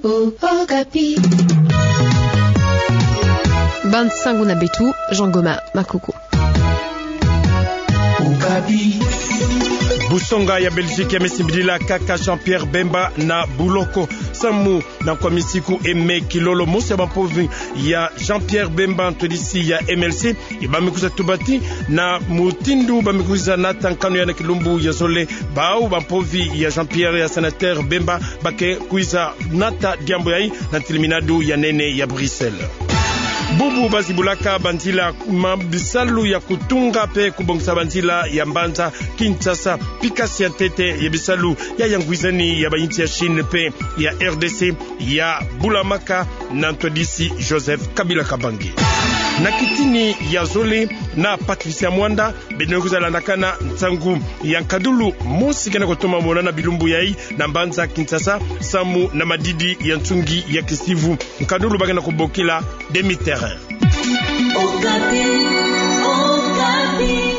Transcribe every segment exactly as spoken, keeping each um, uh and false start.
Okapi. Bansangu na beto, Jean Goma Makoko. Busonga ya Belgique ya me simbidila kaka Jean-Pierre Bemba na buloko. Samu na nkomi nsiku Aimé Kilolo, mosi ya bampovi ya Jean-Pierre Bemba, ntwadisi ya M L C, ba me kwiza tubati na mutindu ba me kwiza nata nkanu ya na kilumbu ya zole, bau bampovi ya Jean-Pierre ya sénateur Bemba ba ke kwiza nata diambu yayi na ntiliminadu ya nene ya Bruxelles. Bubu ba zibulaka banzila ma bisalu ya kutunga pe kubongisa banzila ya mbanza Kinshasa, pikasi ya ntete ya bisalu ya ya ngwizani ya bayinsi ya Chine pe ya R D C ya bulamaka na ntwadisi Joseph Kabila Kabange. Na kitini ya zole na Patricia Mwanda, beno kwiza landakana nsangu ya nkadulu mosi kena kutoma mona na bilumbu yayi na mbanza Kinshasa, samu na madidi ya nsungi ya kisivu. Nkadulu ba kena kubokila demi-terrain. Okapi, Okapi.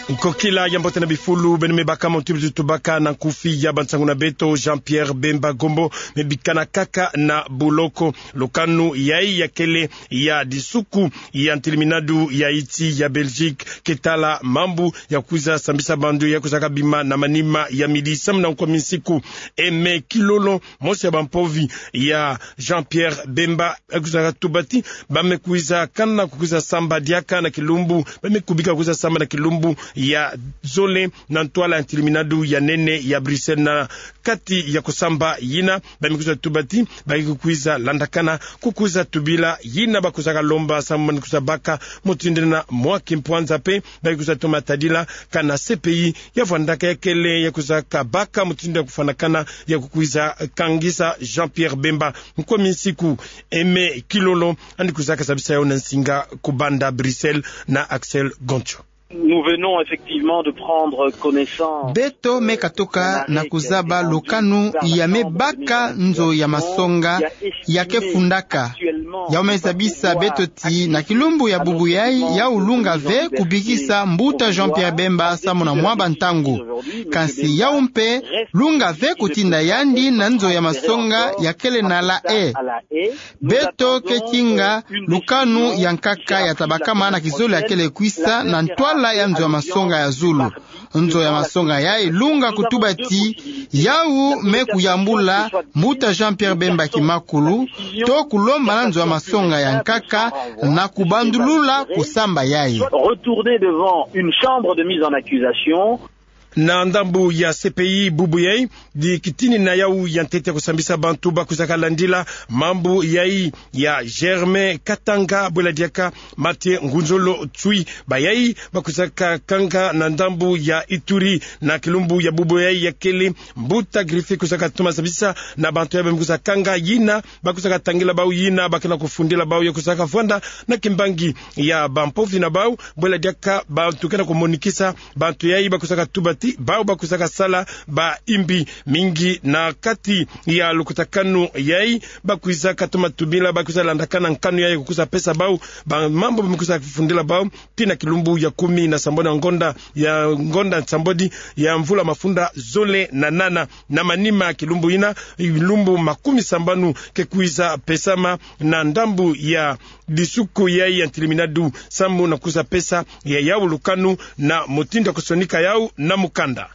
Nkokila ya mbote na bifulu, beno me baka, mutindu tubaka na nkufi ya bansangu na beto, Jean-Pierre Bemba Gombo me bikana kaka na buloko. Lukanu yayi ya kele ya disuku ya ntiliminadu ya insi ya Belgique ke tala mambu ya kwiza sambisa bantu ya kwizaka bima na manima ya midi samu na nkomi nsiku Aimé Kilolo, mosi ya bampovi ya Jean-Pierre Bemba, ba kwizaka tubati, ba me kwiza kana kukwiza samba diaka na kilumbu, ba me kubika kukwiza samba na kilumbu ya zole na ntwala ya ntiliminadu ya nene ya Bruxelles. Na kati ya kusamba yina, ba me kwiza tubati, ba ke kukwiza landakana kukwiza tubila yina ba kwizaka lomba samu na kwiza baka mutindu na mwa kimpwanza pe ba ke kwiza toma tadila kana C P I ya vwandaka ya kele ya kwizaka baka mutindu ya kufwanakana ya kukwiza kangisa Jean-Pierre Bemba. Nkomi nsiku Aimé Kilolo yandi kwizaka sabisa yawu na nsinga ku banda Bruxelles na Axel Goncho. Nous venons effectivement de prendre connaissance. Beto me katuka na kuzaba lukanu ya me baka nzo ya masonga ya ke fundaka. Yawu me zabisa beto ti na kilumbu ya bubu yayi, yawu lunga ve kubikisa mbuta Jean-Pierre Bemba samu na mwa bantangu. Kansi yawu mpe lunga ve kutinda yandi na nzo ya masonga ya kele na La Haye. Beto ke kinga lukanu ya nkaka ya ta bakama na kizole ya kele kwisa na ntwala ya nzo ya masonga ya zulu. Nzo ya masonga yayi lunga kutuba ti yawu me kuyambula mbuta Jean-Pierre Bemba kimakulu, to kulomba na nzo ya masonga ya nkaka na kubandulula kusamba yayi. Retourner devant une chambre de mise en accusation. Na ndambu ya C P I bubu yayi, di kitini na yawu ya ntete kusambisa bantu ba kwizaka landila mambu yayi ya Germain Katanga, bwela diaka Mathieu Ngunzolo Tsui, bayayi ba kwizaka kanga na ndambu ya Ituri na kilumbu ya bubu yayi ya kele. Mbuta Griffe kwizaka toma sabisa na bantu yayi ba me kwiza kanga yina, ba kwizaka tangila bawu yina ba kena kufundila bawu ya kwizaka vwanda na kimbangi ya bampovi na bawu, bwela diaka bantu kena kumonikisa bantu yayi ba kwizaka tuba ti bawu ba kwizaka sala ba imbi mingi. Na kati ya lukutakanu yayi, ba kwizaka toma tubila, ba kwiza landakana nkanu yayi kukwiza pesa bawu, ba mambu ba me kwiza fundila bawu, tii na kilumbu ya kumi na sambodi ya ngonda, ya ngonda nsambodi ya mvula mafunda zole na nana. Na manima ya kilumbu yina, lumbu makumi sambanu ke kwiza pesama na ndambu ya disuku yayi ya ntiliminadu samu na kwiza pesa ya yawu lukanu na mutindu ya kusonika yawu na mukanda.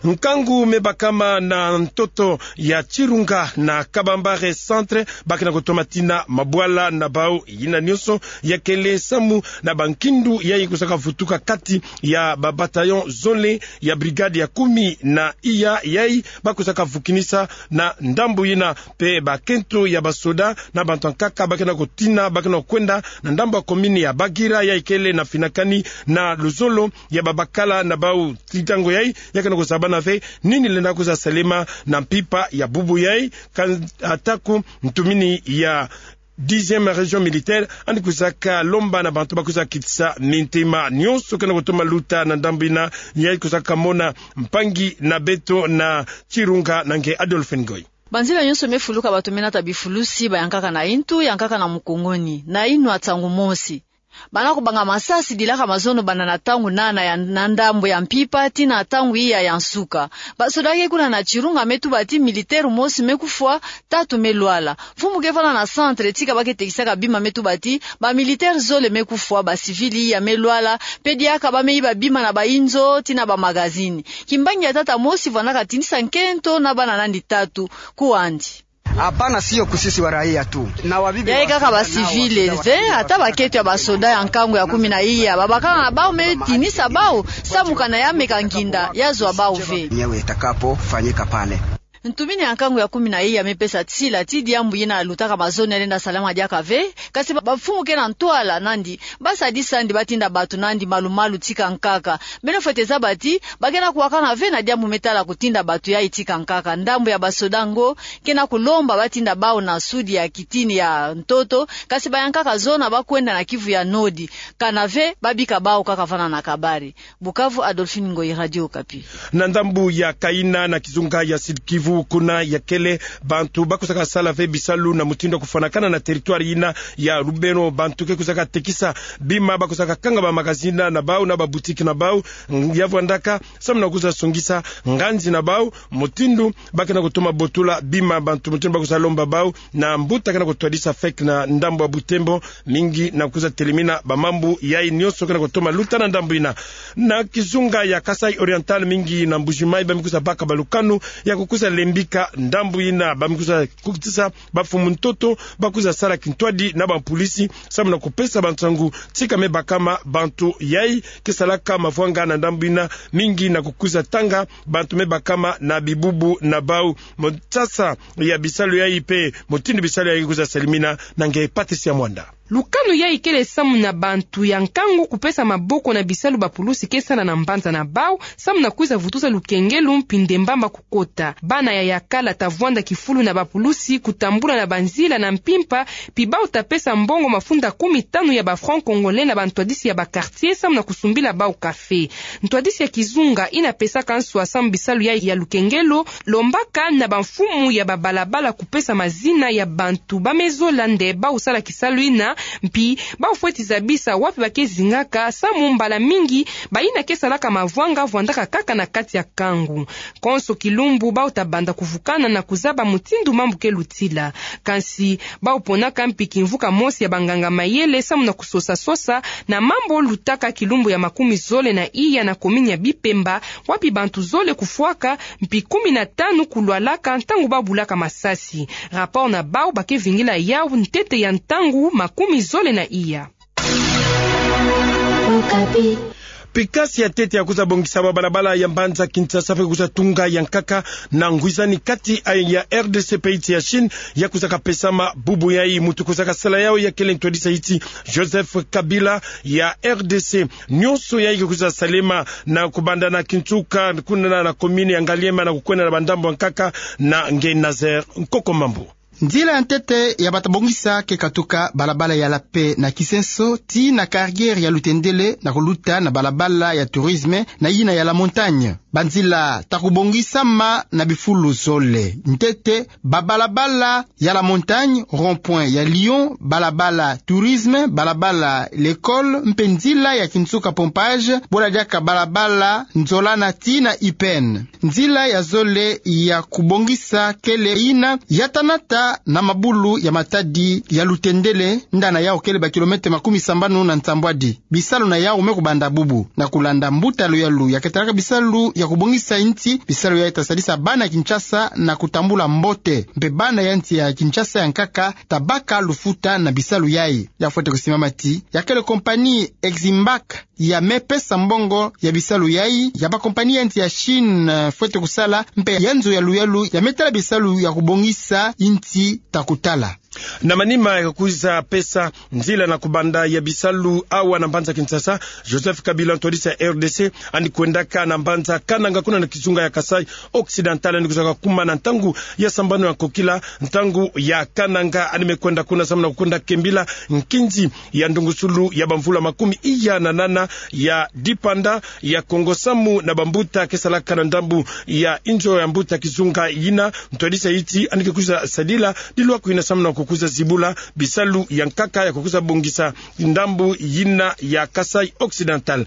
Nkangu me bakama na ntoto ya Chirunga na Kabambare Centre, ba kena kutoma tina mabwala na bawu. Yina nionso ya kele samu na bankindu yayi kwizaka vutuka kati ya ba bataillon zole ya brigade ya kumi na iya yayi ba kwizaka vukinisa na ndambu yina, mpe bakento ya basoda na bantu ya nkaka ba kena kutina, ba kena kukwenda na ndambu ya commune ya Bagira yayi kele na finakani na luzolo ya babakala na bawu. Tii ntangu yayi, ya kena kuzabana ve nini lenda kwiza salema na mpimpa ya bubu yayi, kan-, atako ntumini ya dixième région militaire yandi kwizaka lomba na bantu ba kwiza kitisa mintema. Nionso kena kutoma luta na ndambu yina, yayi kwizaka mona mpangi na beto na Chirunga na nge Adolphe Ngoy. Banzila nionso me fuluka, bato me nata bifulusi, ba ya nkaka na intu, ya nkaka na mukunguni, na inwa ntangu mosi. Bana kubanga masasi dilaka mazono banda na ntangu nana ya, na ndambu ya mpimpa tii na ntangu iya ya nsuka. Basoda ke kuna na Chirunga me tuba ti militaire mosi me kufwa, tatu me lwala. Mfumu ke vanda na centre tika ba ke tekisaka bima me tuba ti bamilitaire zole me kufwa, bacivil iya me lwala, mpe diaka ba me yiba bima na bainzo tii na bamagazini. Kimbangi ya tata mosi vwandaka tinisa nkento na bana nandi tatu, kuwa andi. Hapana, sio kusisi wa raia tu. Na wabibi. Yayi kaka bacivil ve, ata bakento ya basoda ya nkangu ya kumi na iya, babakala na bau me tinisa bau, samu kana ya meka nginda ya zwa bau ve. Yenyewe itakapofanyika pale. Ntumini ya nkangu ya kumi na iya me pesa nsila ti diambu yina lutaka mazono ya lenda salama diaka ve, kasi ba, bamfumu ke na ntwala nandi, ba sadisa andi ba tinda bato nandi malu-malu tika nkaka. Beno fwete zaba ti, ba ke na kuwakana ve na diambu me tala kutinda bato yayi tika nkaka. Ndambu ya basoda ngo, ke na kulomba ba tinda bau na sudi ya kitini ya ntoto, kasi bayankaka zona ba kwenda na Kivu ya Nodi. Kana ve, ba bika bau kaka vanda na kabari. Bukavu, Adolphine Ngoyi, Radio Okapi. Na ndambu ya Kaina na kizunga ya Sud-Kivu, kuna ya kele bantu ba kuzaka sala ve bisalu na mutindu ya kufwanakana na territoire yina ya Lubero. Bantu ke kuzaka tekisa bima, ba kuzaka kanga bamagazini na bau na baboutique na bau, ya vwandaka samu na kuza songisa nganzi na bau, mutindu ba ke na kutoma botula bima, bantu mutindu ba kuza lomba bau, na mbuta ke na kutwadisa fek na ndambu ya Butembo, mingi na kuza telemina bamambu yayi nionso ke na kutoma luta na ndambu yina. Na kizunga ya Kasaï Oriental, mingi na Mbuji-Mayi, ba me kuza baka balukanu ya kukuza lembika ndambu yina, ba me kuza kukisa bamfumu ntoto ba kuza sala kintwadi na bampulisi, samu na kupesa bansangu tika me bakama bantu yayi ke salaka mavwanga na ndambu yina, mingi na kukuza tanga bantu me bakama na bibubu na bau. Mutasasa ya bisalu yayi mpe mutindu bisalu yayi kuza salimina, na nge Patricia Mwanda. Lukanu yayi kele samu na bantu ya nkangu kupesa maboko na bisalu bapulusi ke sala na mbanza na bau, samu na kwiza vutusa lukengelu mpi ndembamba kukota. Bana ya yakala ta vwanda kifulu na bapulusi kutambula na banzila na mpimpa, mpi bau ta pesa mbongo mafunda kumi tanu ya ba francs congolais na bantwadisi ya ba quartier samu na kusumbila bau café. Ntwadisi ya kizunga yina pesaka nswa samu bisalu ya, ya lukengelu, lombaka na bamfumu ya babalabala kupesa mazina ya bantu ba me zola nde bau sala kisalu yina, mpi bau fweti zabisa wapi ba ke zingaka, samu mbala mingi bayina ke salaka mavwanga vwandaka kaka na kati ya nkangu. Konso kilumbu bau ta banda kuvukana na kuzaba mutindu mambu ke lutila. Kansi bau ponaka mpi kimvuka mosi ya banganga-mayele samu na kusosa-sosa na mambu lutaka kilumbu ya makumi zole na iya na komini ya Bipemba, wapi bantu zole kufwaka, mpi kumi na tanu kulwalaka ntangu ba bulaka masasi. Rapport na bau ba ke vingila yau ntete ya ntangu makumi zole na iya. Okapi. Pikasi ya ntete ya kuza bongisa babalabala ya mbanza Kinshasa mpe kuza tunga ya nkaka na ngwizani kati ya R D C mpe insi ya Chine, ya kuzaka pesama bubu yayi. Muntu kuzaka sala yau ya kele ntwadisi ya insi Joseph Kabila ya R D C. Nionso yayi ke kuza salema na kubanda na Kinsuka, kuna na, na komini ya Ngaliema na kukwenda na bandambu ya nkaka, na nge Nazaire Nkoko Mambu. Nzila ya ntete ya bata bongisa ke katuka balabala ya la Paix na Kisenso tii na carrière ya Lutendele na kuluta na balabala ya tourisme na yina ya la Montagne. Banzila ta kubongisama na bifulu zole. Ntete, babalabala ya la Montagne, rond-point ya Lyon, balabala tourisme, balabala l'école, mpe nzila ya Kinsuka pompage, bola diaka balabala Nzolana tii na Ipene. Nzila ya zole ya kubongisa kele yina ya ta nata na mabulu ya Matadi ya Lutendele, ndana yau kele ba kilomètre makumi sambanu na nsambwadi. Bisalu na yau me kubanda bubu. Na kulanda mbuta ya luyalu ya ketalaka bisalu ya kubongisa insi, bisalu yayi ta sadisa bana Kinshasa na kutambula mbote. Mpe bana ya insi ya Kinshasa ya nkaka ta baka lufuta na bisalu yayi. Ya fwete kusimama ti ya kele compagnie Eximbank ya me pesa mbongo ya bisalu yayi, ya ba compagnie ya insi ya Chine, eh, fwete kusala, mpe ya nzo ya luyalu ya me tala bisalu ya kubongisa insi ta kutala. Na manima ya kwiza pesa nzila na kubanda ya bisalu awa na mbanza Kinshasa, Joseph Kabila, ntwadisi ya R D C, yandi kwendaka na mbanza Kananga, kuna na kizunga ya Kasaï Occidental, yandi kwizaka kuma na ntangu ya sambanu ya nkokila, ntangu ya Kananga. Yandi me kwenda kuna samu na kukwenda kembila nkinzi ya ndungusulu ya bamvula makumi iya na nana ya dipanda ya Kongo samu na bambuta ke salaka na ndambu ya inzo ya mbuta kizunga yina. Ntwadisi ya insi yandi ke kwiza sadila dilwaku yina samu na ku kwiza zibula bisalu ya nkaka ya kukwiza bongisa ndambu yina ya Kasaï Occidental.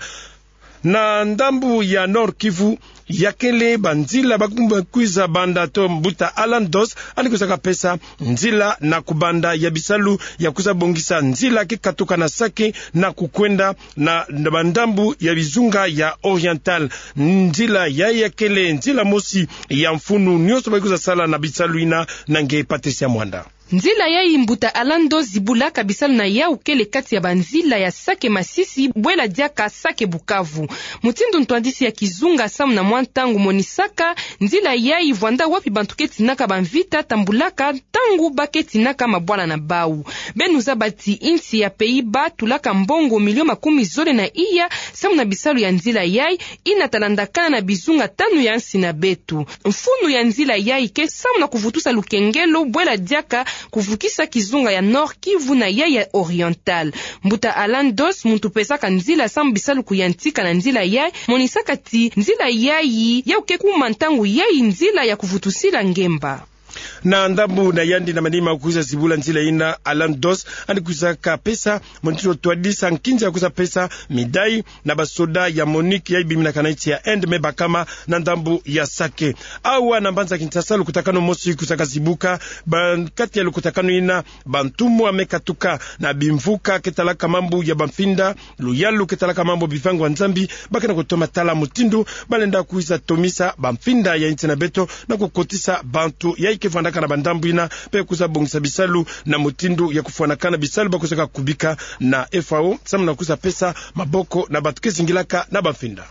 Na ndambu ya Nord-Kivu, ya kele banzila ba ku-, ba kwiza banda to mbuta Alan Dos, yandi kwizaka pesa nzila na kubanda ya bisalu ya kwiza bongisa nzila ke katuka na Sake na kukwenda na, na bandambu ya bizunga ya Oriental. Nzila yayi ya kele nzila mosi ya mfunu nyonso ba kwiza sala na bisalu yina. Na nge Patricia Mwanda. Nzila yayi mbuta Alan Dos zibulaka bisalu na yawu kele kati ya banzila ya Sake Masisi, bwela diaka Sake Bukavu. Mutindu ntwadisi ya kizunga samu na mwa ntangu monisaka, nzila yayi vwanda wapi bantu ke tinaka bamvita tambulaka ntangu ba ke tinaka mabwala na bawu. Beno zaba ti insi ya Pays-Bas tulaka mbongo milio makumi zole na iya samu na bisalu ya nzila yayi, yina talandakana na bizunga tanu ya nsi na beto. Mfunu ya nzila yayi ke samu na kuvutusa lukengelo, bwela diaka kuvukisa kizunga ya Nord-Kivu na yayi ya Oriental. Mbuta Alan Dos, muntu pesaka nzila samu bisalu kuyantika na nzila yayi, monisaka ti nzila yayi, yawu ke kuma ntangu yayi nzila ya kuvutusila ngemba. Na ndambu na yandi na manima kwiza zibula nzila yina, Alan Dos yandi kwizaka pesa, mutindu twadisa nkinza ya kwiza pesa médaille na basoda ya MONUC yayi biminaka na insi ya Inde me bakama na ndambu ya Sake. Awa na mbanza Kinshasa, lukutakanu mosi kwizaka zibuka, ba kati ya lukutakanu yina, bantumwa me katuka na bimvuka ke talaka mambu ya bamfinda, luyalu ke talaka mambu bivangu ya Nzambi, ba ke na kutoma tala mutindu ba lenda kwiza tomisa bamfinda ya insi na beto na kukotisa bantu yayi ke vwandaka na bandambu yina, mpe kwiza bongisa bisalu na mutindu ya kufwanakana bisalu ba kwizaka kubika na F A O, samu na kwiza pesa maboko na bantu ke zingilaka na bamfinda.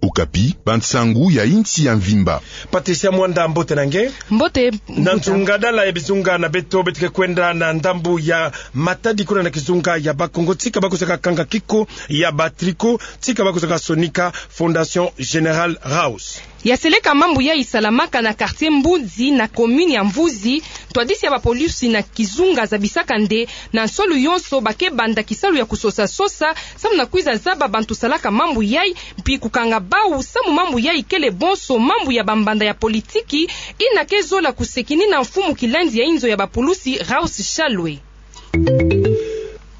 Okapi, bansangu ya insi ya mvimba. Patricia Mwanda, mbote na nge. Mbote. Na nzungadala ya bizunga na beto, beto ke kwenda na ndambu ya Matadi, kuna na kizunga ya Bakongo, tika ba kwizaka kanga kiko ya ba tricot, tika ba kwizaka sonika Fondation General Raus. Ya seleka mambu yayi salamaka na quartier Mbuzi na commune ya Mvuzi, ntwadisi ya bapolisi na kizunga zabisaka nde na nsolu yonso ba ke banda kisalu ya kusosa-sosa, samu na kwiza zaba bantu salaka mambu yayi, mpi kukanga bawu, samu mambu yayi kele bonso mambu ya bambanda ya politiki, yina ke zola kusekini na mfumu kilandi ya inzo ya bapolisi, Raus Shalwe.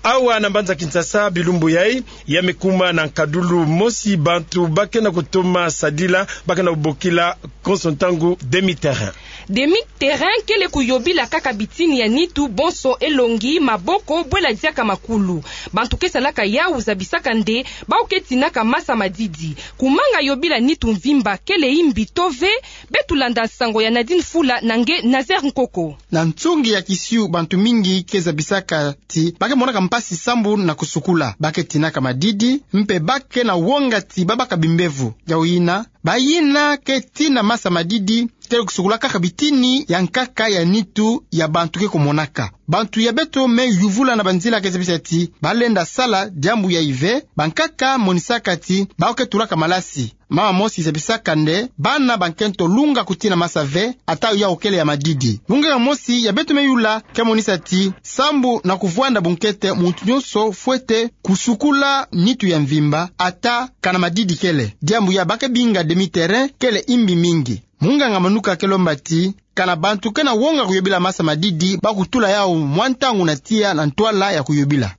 Awa na mbanza Kinshasa, bilumbu yayi, ya me kuma na nkadulu mosi bantu ba ke na kutoma sadila, ba ke na kubokila konso ntangu demi-terrain. Demi-terrain kele kuyobila kaka bitini ya nitu, bonso elongi, maboko, bwela diaka makulu. Bantu ke salaka yawu zabisaka nde bawu ke tinaka masa-madidi. Kumanga yobila nitu mvimba kele imbi to ve, beto landa nsangu ya Nadine Fula na nge Nazaire Nkoko. Na nsungi ya kisiu, bantu mingi ke zabisaka ti ba ke monaka mpasi sambu na kusukula. Ba ke tinaka madidi, mpe ba ke na wonga ti ba baka bimbevo. Yawu yina, bayina ke tina masa-madidi, kele kusukula kaka bitini ya nkaka ya nitu ya bantu ke kumonaka. Bantu ya beto me yuvula na banzila ke zabisa ti ba lenda sala diambu yayi ve, bankaka monisaka ti bawu ke tulaka malasi. Mama mosi zabisaka nde bana ba nkento lunga kutina masa ve, ata yawu kele ya madidi. Munganga mosi ya beto me yula ke monisa ti sambu na kuvwanda bunkete, muntu nyonso fwete kusukula nitu ya mvimba, ata kana madidi kele. Diambu ya ba ke binga demi-terrain kele imbi mingi. Munganga Manuka ke lomba ti kana bantu ke na wonga kuyobila masa-madidi, ba kutula yawu mwa ntangu na tiya na ntwala ya kuyobila.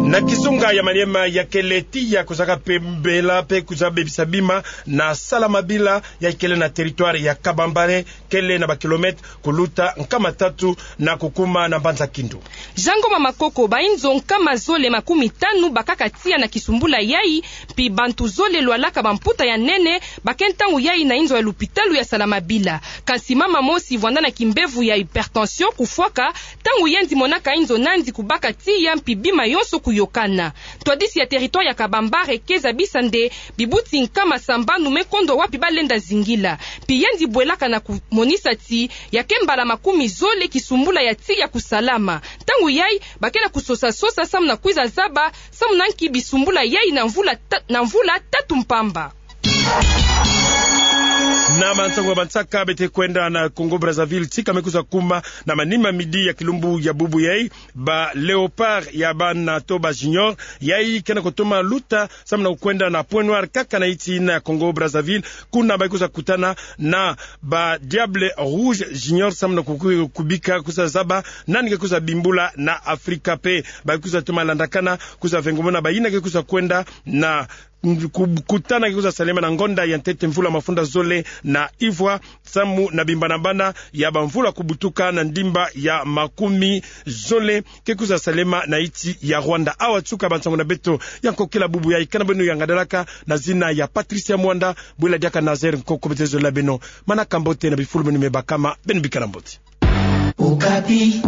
Na kizunga ya Maniema, ya kele tiya kuzaka pembela mpe kuza bebisa bima na Salamabila, ya kele na territoire ya Kabambare, kele na ba kilomètres kuluta nkama tatu na kukuma na mbanza Kindu. Jean Ngoma Makoko, bainzo nkama zole makumi tanu bakaka tiya na kisumbula yayi, mpi bantu zole lwalaka bamputa ya nene ba ke ntangu yayi na inzo ya lupitalu ya Salamabila. Kansi mama mosi vwanda na kimbevo ya hypertension kufwaka, ntangu yandi monaka inzo nandi kubaka tiya mpi bima yonso kuyokana. Ntwadisi ya territoire ya Kabambare ke zabisa nde bibuti nkama sambanu me kondwa wapi ba lenda zingila. Mpi yandi bwelaka na kumonisa ti ya ke mbala makumi zole kisumbula ya tiya kusalama. Ntangu yayi, ba ke na kusosa-sosa samu na kwiza zaba samu na nki bisumbula yayi na mvula ta-, na mvula tatu mpamba. Na mansango ya bansaka beto ke kwenda na Congo Brazzaville, tika me kwiza kuma na manima midi ya kilumbu ya bubu yai, ba Léopards ya bana to ba Juniors yai ke na kutoma luta samu na kukwenda na Points Noirs kaka na insi ina ya Congo Brazzaville. Kuna ba kwiza kutana na ba Diables Rouges Juniors samu na kuku-, kubika kwiza zaba nani ke kwiza bimbula na Afrika pe. Ba kwiza toma landakana kwiza vengomona bayina ke kwiza kwenda na ku-, kutana ke kwiza salema na ngonda ya ntete mvula mafunda zole na ivwa, samu na bimbanabana ya bamvula kubutuka na ndimba ya makumi zole ke kwiza salema na insi ya Rwanda. Awa tuka bansango na beto ya nkokila bubu yai, kana beno ya ngadalaka na zina ya Patricia Mwanda, bwila diaka Nazaire Nkoko. Beto zolila beno manaka mbote na bifulu beno me bakama, beno bikana mbote. Okapi.